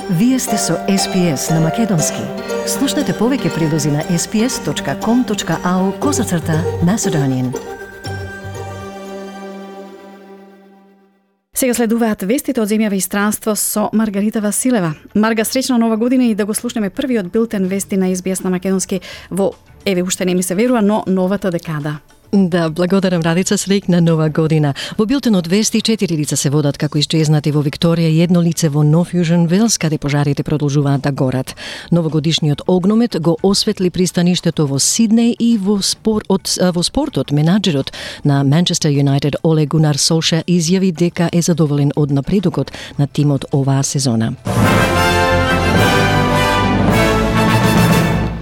Вие сте со SPS на Македонски. Слушнете повеќе прилози на sps.com.au/Macedonian. Сега следуваат вестите од земјава и странство со Маргарита Василева. Марга, среќна нова година и да го слушнеме првиот билтен вести на SBS на Македонски во, еве уште не ми се верува, но новата декада. Да, благодарам Радица, среќна нова година. Во билтенот вести 4 лица се водат како исчезнати во Викторија и 1 лице во Нов Јужен Велс, каде пожарите продолжуваат да горат. Новогодишниот огномет го осветли пристаништето во Сиднеј и во спортот менаџерот на Манчестер Юнайтед Оле Гунар Солша изјави дека е задоволен од напредокот на тимот оваа сезона.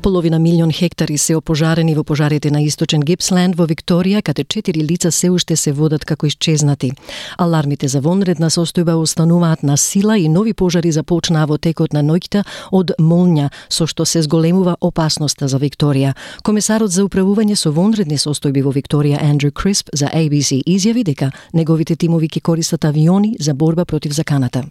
Половина милион хектари се опожарени во пожарите на Источен Гипсленд во Викторија, каде 4 лица се уште се водат како исчезнати. Алармите за вонредна состојба остануваат на сила и нови пожари започнаа во текот на ноќта од молња, со што се зголемува опасноста за Викторија. Комесарот за управување со вонредни состојби во Викторија Андрю Крисп за ABC изјави дека неговите тимови ќе користат авиони за борба против заканата.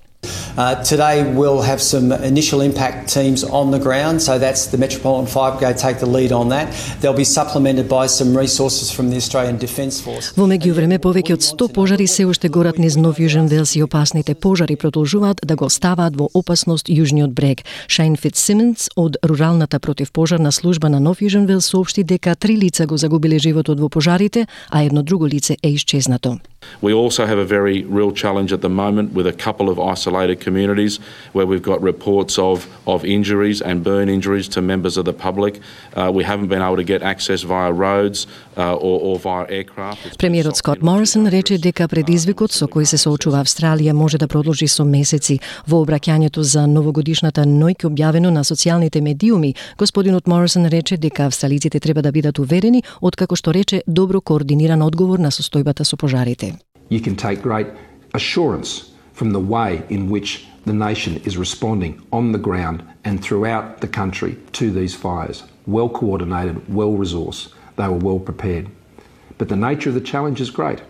Today we'll have some initial impact teams on the ground, so that's the Metropolitan Fire Brigade take the lead on that. They'll be supplemented by some resources from the Australian Defence Force. Во меѓувреме повеќе од 100 пожари се уште горат низ Нов Јужен Велс и опасните пожари продолжуваат да го ставаат во опасност јужниот брег. Шейн Фитсимонс од руралната противпожарна служба на Нов Јужен Велс соопшти дека 3 лица го загубиле животот во пожарите, а едно друго лице е исчезнато. We also have a very real challenge at the moment with a couple of isolated communities where we've got reports of injuries and burn injuries to members of the public. We haven't been able to get access via roads or via aircraft. Премиерот Скот Морисон рече дека предизвикот со кој се соочува Австралија може да продолжи со месеци. Во обраќањето за новогодишната ноќ објавено на социјалните медиуми, господинот Морисон рече дека австралиците треба да бидат уверени, откако што рече добро координиран одговор на состојбата со пожарите. You can take great assurance from the way in which the nation is responding on the ground and throughout the country to these fires. Well coordinated, well resourced, they were well prepared. But the nature of the challenge is great.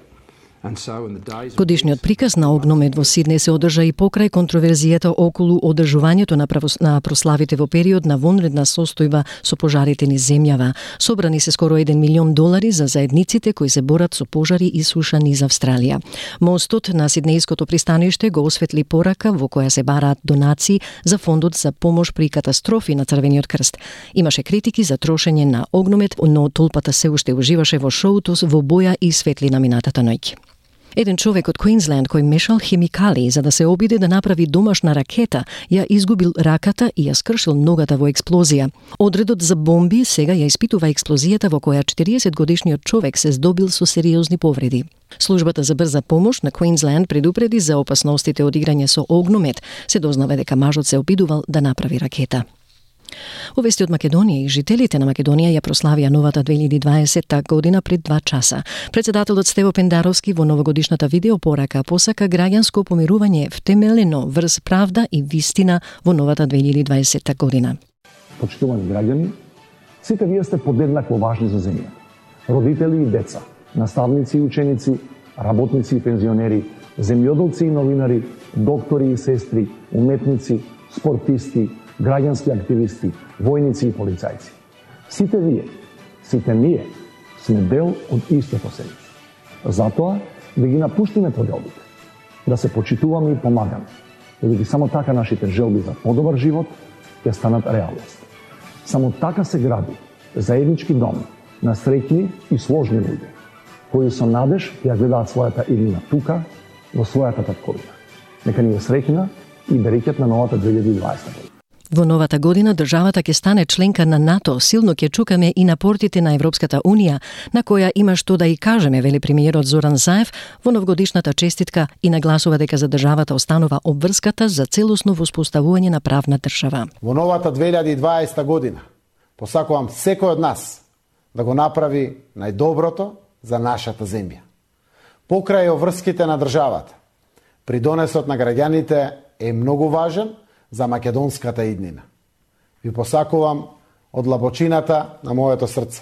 Годишниот приказ на огномет во Сиднеј се одржа и покрај контроверзијата околу одржувањето на прославите во период на вонредна состојба со пожарите низ земјава. Собрани се скоро $1 милион за заедниците кои се борат со пожари и суша низ Австралија. Мостот на Сиднејското пристаниште го осветли порака во која се бараат донации за фондот за помош при катастрофи на Црвениот крст. Имаше критики за трошење на огномет, но толпата се уште уживаше во шоуто во боја и светлина минатата ноќ. Еден човек од Квинсленд кој мешал хемикали за да се обиде да направи домашна ракета, ја изгубил раката и ја скршил ногата во експлозија. Одредот за бомби сега ја испитува експлозијата во која 40-годишниот човек се здобил со сериозни повреди. Службата за брза помош на Квинсленд предупреди за опасностите од играње со огномет. Се дознава дека мажот се обидувал да направи ракета. Овести од Македонија и жителите на Македонија ја прославија новата 2020 година пред 2 часа. Председателот Стево Пендаровски во новогодишната видеопорака посака граѓанско помирување втемелено врз правда и вистина во новата 2020 година. Почитувани граѓани, сите вие сте подеднакво важни за земја. Родители и деца, наставници и ученици, работници и пензионери, земјоделци и новинари, доктори и сестри, уметници, спортисти, граѓански активисти, војници и полицајци. Сите вие, сите ние, сме дел од истото семејство. Затоа да ги напуштиме поделбите, да се почитуваме и помагаме, бидејќи само така нашите желби за подобар живот ќе станат реалност. Само така се гради заеднички дом на среќни и сложни луѓе, кои со надеж ја гледаат својата иднина тука, во својата татковина. Нека ни е среќна и берекет на новата 2020 година. Во новата година државата ќе стане членка на НАТО, силно ќе чукаме и на портите на Европската Унија, на која има што да и кажеме, вели премиерот Зоран Заев во новогодишната честитка и нагласува дека за државата останува обврската за целосно воспоставување на правна држава. Во новата 2020 година посакувам секој од нас да го направи најдоброто за нашата земја. Покрај обврските на државата, придонесот на граѓаните е многу важен за македонската иднина. Ви посакувам од длабочината на моето срце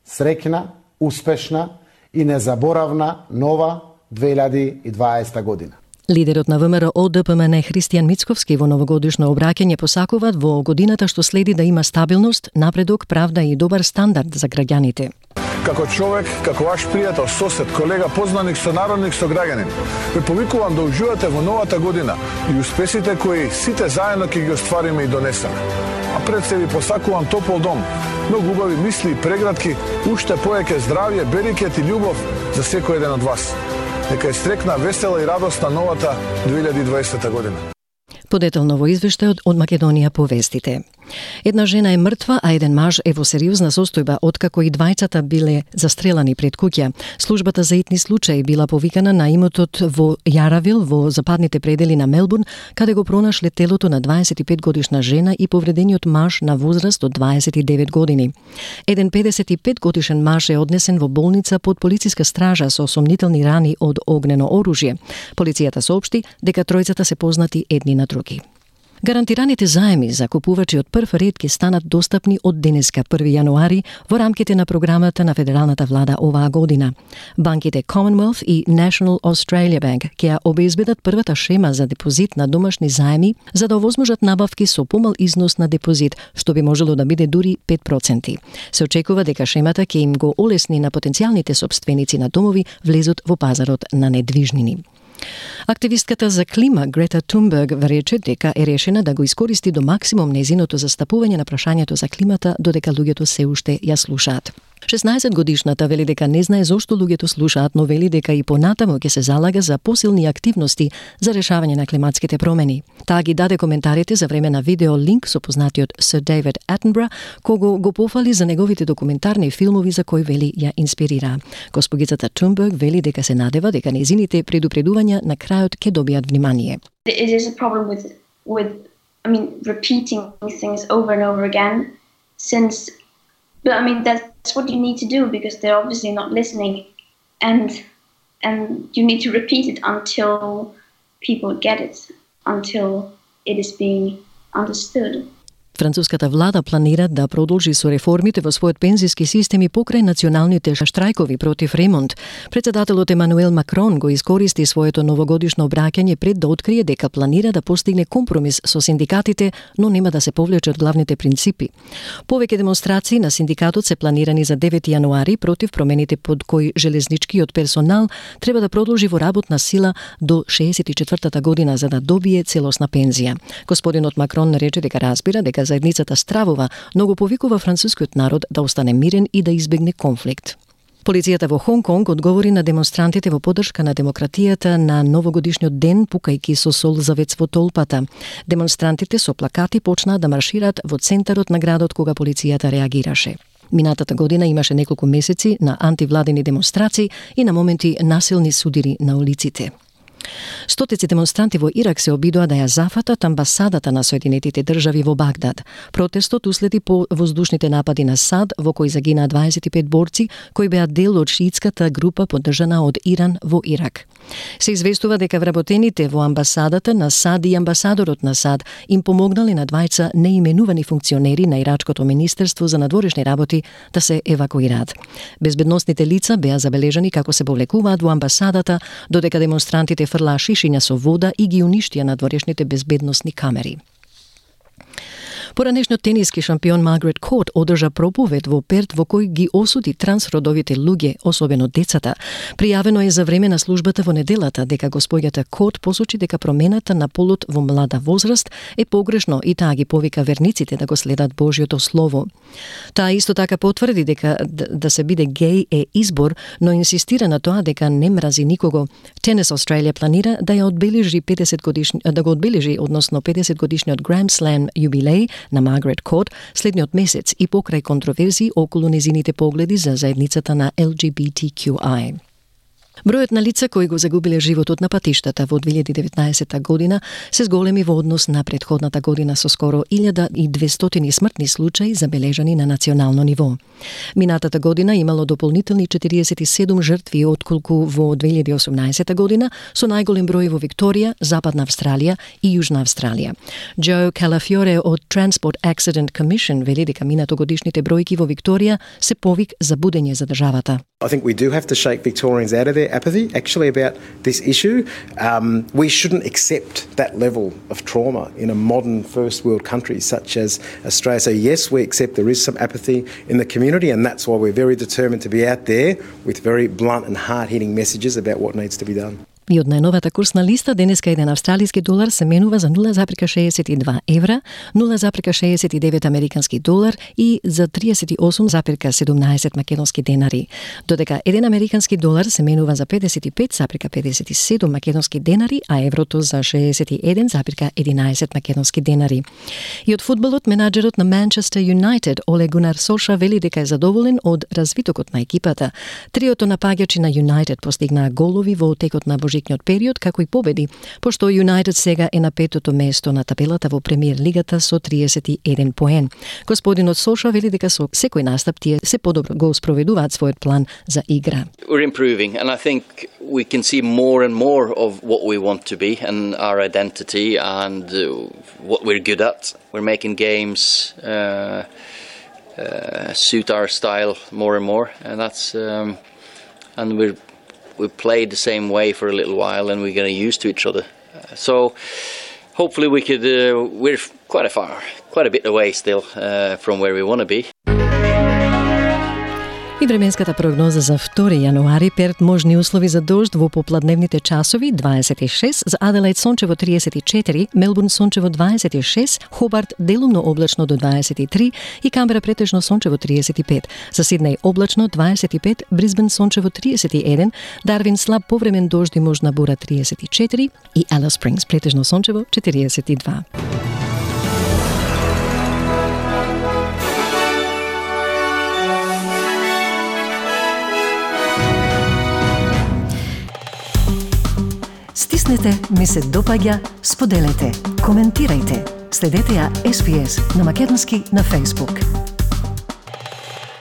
среќна, успешна и незаборавна нова 2020 година. Лидерот на ВМРО ДПМН Христијан Мицковски во новогодишно обраќање посакуваат во годината што следи да има стабилност, напредок, правда и добар стандард за граѓаните. Како човек, како ваш пријател, сосед, колега, познаник, сонародник, сограѓанин, ве повикувам да уживате во новата година и успесите кои сите заедно ќе ги оствариме и донесеме. А пред се ви посакувам топол дом, многу убави мисли и прегратки, уште повеќе здравје, берикет и љубов за секој еден од вас. Нека е стрекна, весела и радосна новата 2020 година. Подетелно во извештајот од Македонија по вестите. Една жена е мртва, а еден маж е во сериозна состојба откако и двајцата биле застрелани пред куќа. Службата за итни случаи била повикана на имотот во Јаравил во западните предели на Мелбурн, каде го пронашле телото на 25 годишна жена и повредениот маж на возраст од 29 години. Еден 55 годишен маж е однесен во болница под полициска стража со сомнителни рани од огнено оружје. Полицијата соопшти дека тројцата се познати едни на други. Гарантираните заеми за купувачи од прв ред ќе станат достапни од денеска 1 јануари во рамките на програмата на федералната влада оваа година. Банките Commonwealth и National Australia Bank ќе ја обезбедат првата шема за депозит на домашни заеми за да овозможат набавки со помал износ на депозит, што би можело да биде дури 5%. Се очекува дека шемата ќе им го олесни на потенцијалните сопственици на домови влезот во пазарот на недвижнини. Активистката за клима Грета Тунберг рече дека е решена да го искористи до максимум незиното застапување на прашањето за климата додека луѓето се уште ја слушаат. 16 годишната вели дека не знае зошто луѓето слушаат, но вели дека и понатаму ќе се залага за посилни активности за решавање на климатските промени. Таа ги даде коментарите за време на видео линк со познатиот Сир Дейвид Атенбора, кого го пофали за неговите документарни филмови за кои вели ја инспирира. Госпогицата Тунберг вели дека се надева дека незините предупредувања на крајот ќе добијат внимание. It is a problem with repeating things over and over again since But that's what you need to do because they're obviously not listening, and you need to repeat it until people get it, until it is being understood. Француската влада планира да продолжи со реформите во својот пензиски систем и покрај националните штрајкови против ремонт. Председателот Емануел Макрон го искористи своето новогодишно обраќање пред да открие дека планира да постигне компромис со синдикатите, но нема да се повлечат главните принципи. Повеќе демонстрации на синдикатот се планирани за 9 јануари против промените под кои железничкиот персонал треба да продолжи во работна сила до 64-та година за да добие целосна пензија. Господинот Макрон рече дека разбира дека заедницата стравува, но го повикува францускиот народ да остане мирен и да избегне конфликт. Полицијата во Хонг Конг одговори на демонстрантите во поддршка на демократијата на новогодишниот ден, пукајки со солзавец во толпата. Демонстрантите со плакати почнаа да маршираат во центарот на градот кога полицијата реагираше. Минатата година имаше неколку месеци на антивладени демонстрации и на моменти насилни судири на улиците. Стотици демонстранти во Ирак се обидоа да ја зафатат амбасадата на Соединетите држави во Багдад. Протестот уследи по воздушните напади на САД, во кои загинаа 25 борци, кои беа дел од шиитската група поддржана од Иран во Ирак. Се известува дека вработените во амбасадата на САД и амбасадорот на САД им помогнале на двајца неименувани функционери на Ирачкото министерство за надворешни работи да се евакуираат. Безбедносните лица беа забележани како се повлекуваат во амбасадата, додека демонстрантите фрлаа шишиња со вода и ги уништија надворешните безбедносни камери. Поранешниот тениски шампион Маргарет Кот одржа проповед во Перт во кој ги осуди трансродовите луѓе, особено децата. Пријавено е за време на службата во неделата дека госпоѓата Кот посочи дека промената на полот во млада возраст е погрешно и таа ги повика верниците да го следат Божјото слово. Таа исто така потврди дека да се биде геј е избор, но инсистира на тоа дека не мрази никого. Tennis Australia планира да ја одбележи 50 годишниот Grand Slam јубилеј на Маргарет Кот следниот месец и покрај контроверзии околу незините погледи за заедницата на LGBTQI. Бројот на лица кои го загубиле животот на патиштата во 2019 година се зголеми во однос на претходната година со скоро 1200 смртни случаи забележани на национално ниво. Минатата година имало дополнителни 47 жртви отколку во 2018 година со најголем број во Викторија, Западна Австралија и Јужна Австралија. Джо Калафиоре од Transport Accident Commission вели дека минатогодишните бројки во Викторија се повик за будење за државата. I think we do have to shake Victorians out of their their apathy actually about this issue. We shouldn't accept that level of trauma in a modern first world country such as Australia. So yes, we accept there is some apathy in the community, and that's why we're very determined to be out there with very blunt and hard-hitting messages about what needs to be done. И од најновата курсна листа, денеска еден австралиски долар се менува за 0,62 евра, 0,69 американски долар и за 38,17 македонски денари. Додека еден американски долар се менува за 55,57 македонски денари, а еврото за 61,11 македонски денари. И од фудбалот, менаџерот на Манчестер Юнайтед, Оле Гунар Солша, вели дека е задоволен од развитокот на екипата. Триото напаѓачи на Юнайтед постигнаа голови во текот на божикниот период, како и победи, пошто Юнайтед сега е на 5-то место на табелата во премиер лигата со 31 поен. Господинот Солша вели дека со секој настап тие се подобро го спроведуваат својот план за игра. We're improving, and I think we can see more and more of what we want to be and our identity and what we're good at. We're making games suit our style more and more, and that's and we played the same way for a little while, and we're getting used to each other. So hopefully we could. We're quite a bit away still from where we want to be. И временската прогноза за 2 јануари, Перт можни услови за дожд во попладневните часови 26, за Аделаид сончево 34, Мелбурн сончево 26, Хобарт делумно облачно до 23 и Камбера претежно сончево 35. За Сиднеј облачно 25, Брисбен сончево 31, Дарвин слаб повремен дожд и можна бура 34 и Алис Спрингс претежно сончево 42. Стиснете, ми се допаѓа, споделете, коментирајте. Следете ја SPS на Македонски на Facebook.